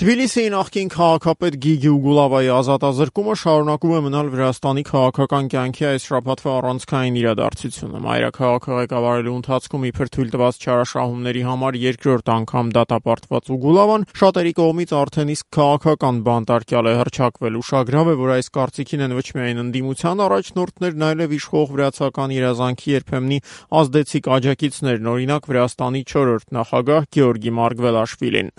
Թբիլիսիի նախկին քաղաքապետ Գիգի Ուգուլավայի ազատազրկումը շարունակում է մնալ Վրաստանի քաղաքական կյանքի այս շաբաթվա առանցքային իրադարձությունը։ Մայրաքաղաքը ղեկավարելու ընթացքում իբր թույլ տված չարաշահումների համար երկրորդ անգամ դատապարտված Ուգուլավան շատերի կողմից արդեն իսկ քաղաքական բանտարկյալ է հռչակվել։ Ուշագրավ է, որ այս կարծիքին են ոչ միայն ընդդիմության առաջնորդներն, այլև իշխող վրացական երազանքի երբեմնի ազդեցիկ աջակիցներն, օրինակ Վրաստանի 4-րդ նախագահ Գեորգի Մարգվելաշվիլին։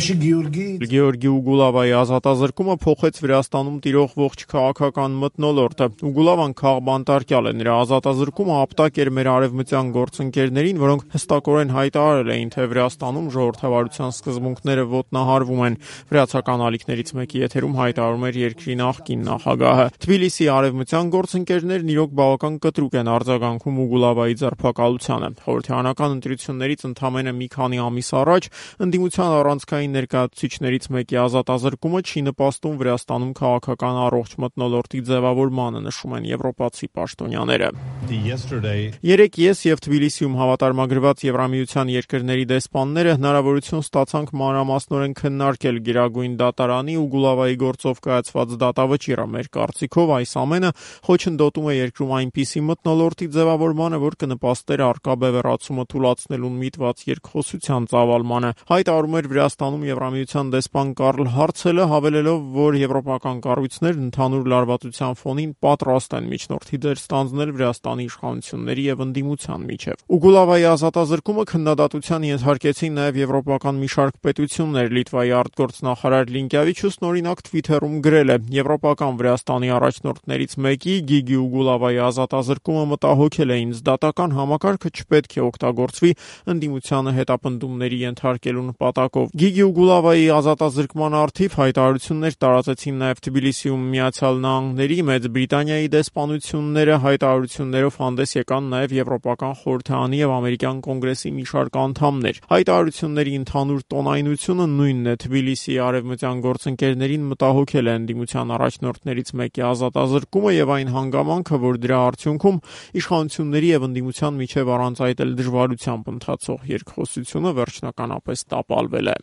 Գեորգի Ուգուլավայի ազատազրկումը փոխեց Վրաստանում տիրող ողջ քաղաքական մթնոլորտը։ Ուգուլավան քաղբանտարկյալ է, նրա ազատազրկումը ապտակ էր մեր արևմտյան գործընկերներին, որոնք հստակորեն հայտարարել էին, թե Վրաստանում ժողովրդավարության սկզբունքները ոտնահարվում են։ Վրացական ալիքներից մեկի եթերում հայտարարում էր երկրի նախկին նախագահը։ Թբիլիսիի արևմտյան գործընկերներն իրոք բավական կտրուկ են արձագանքում Ուգուլավայի ձերբակալությանը։ Խորհրդարանական ընտրություններից ընդամենը մի քանի ամիս առաջ ընդդիմության առանցքային ներկայացուցիչներից մեկի ազատազրկումը չի նպաստում Վրաստանում քաղաքական առողջ մթնոլորտի ձևավորմանը, նշում են եվրոպացի պաշտոնյաները։ Երեկ ես եւ Թբիլիսիում հավատարմագրված Եվրամիության երկրների դեսպանները հնարավորություն ստացանք մանրամասնորեն քննարկել Գերագույն դատարանի Ուգուլավայի գործով կայացված դատավճիռը։ Մեր կարծիքով այս ամենը խոչընդոտում է երկրում այնպիսի մթնոլորտի ձևավորմանը, որ կնպաստեր առկա բևեռացումը թուլացնելուն միտված երկխոսության ծավալմանը, հայտարարում էր Վրաստանում Եվրամիության դեսպան Կարլ Հարցելը, հավելելով, որ եվրոպական կառույցներն ընդհանուր լարվածության ֆոնին պատրաստ են միջնորդի դեր ստանձնել Վրաստանի իշխանությունների եւ ընդդիմության միջեւ։ Ուգուլավայի ազատազրկումը քննադատության ենթարկեցին նաեւ եվրոպական մի շարք պետություններ։ Լիտվայի արտգործնախարար Լինկյավիչուսն օրինակ Twitter-ում գրել է. «Եվրոպական Վրաստանի առաջնորդներից մեկի Գիգի Ուգուլավայի ազատազրկումը մտահոգել է ինձ։ Դատական համակարգը չպետք է օգտագործվի ընդդիմությանը հետապնդումների ենթարկելու նպատակով»։ Գիգի Ուգուլավայի ազատազրկման առթիվ հայտարարություններ տարածեցին նաև Թբիլիսիում Միացյալ Նահանգների, Մեծ Բրիտանիայի դեսպանությունները, հայտարարություններով հանդես եկան նաև Եվրոպական խորհրդարանի եւ ամերիկյան կոնգրեսի մի շարք անդամներ։ Հայտարարությունների ընդհանուր տոնայնությունը նույնն է։ Թբիլիսիի արևմտյան գործընկերներին մտահոգել է ընդդիմության առաջնորդներից մեկի ազատազրկումը եւ այն հանգամանքը, որ դրա արդյունքում իշխանությունների եւ ընդդիմության միջեւ առանց այդ էլ դժվարությամբ ընթացող երկխոսությունը վերջնականապես տապալվել է։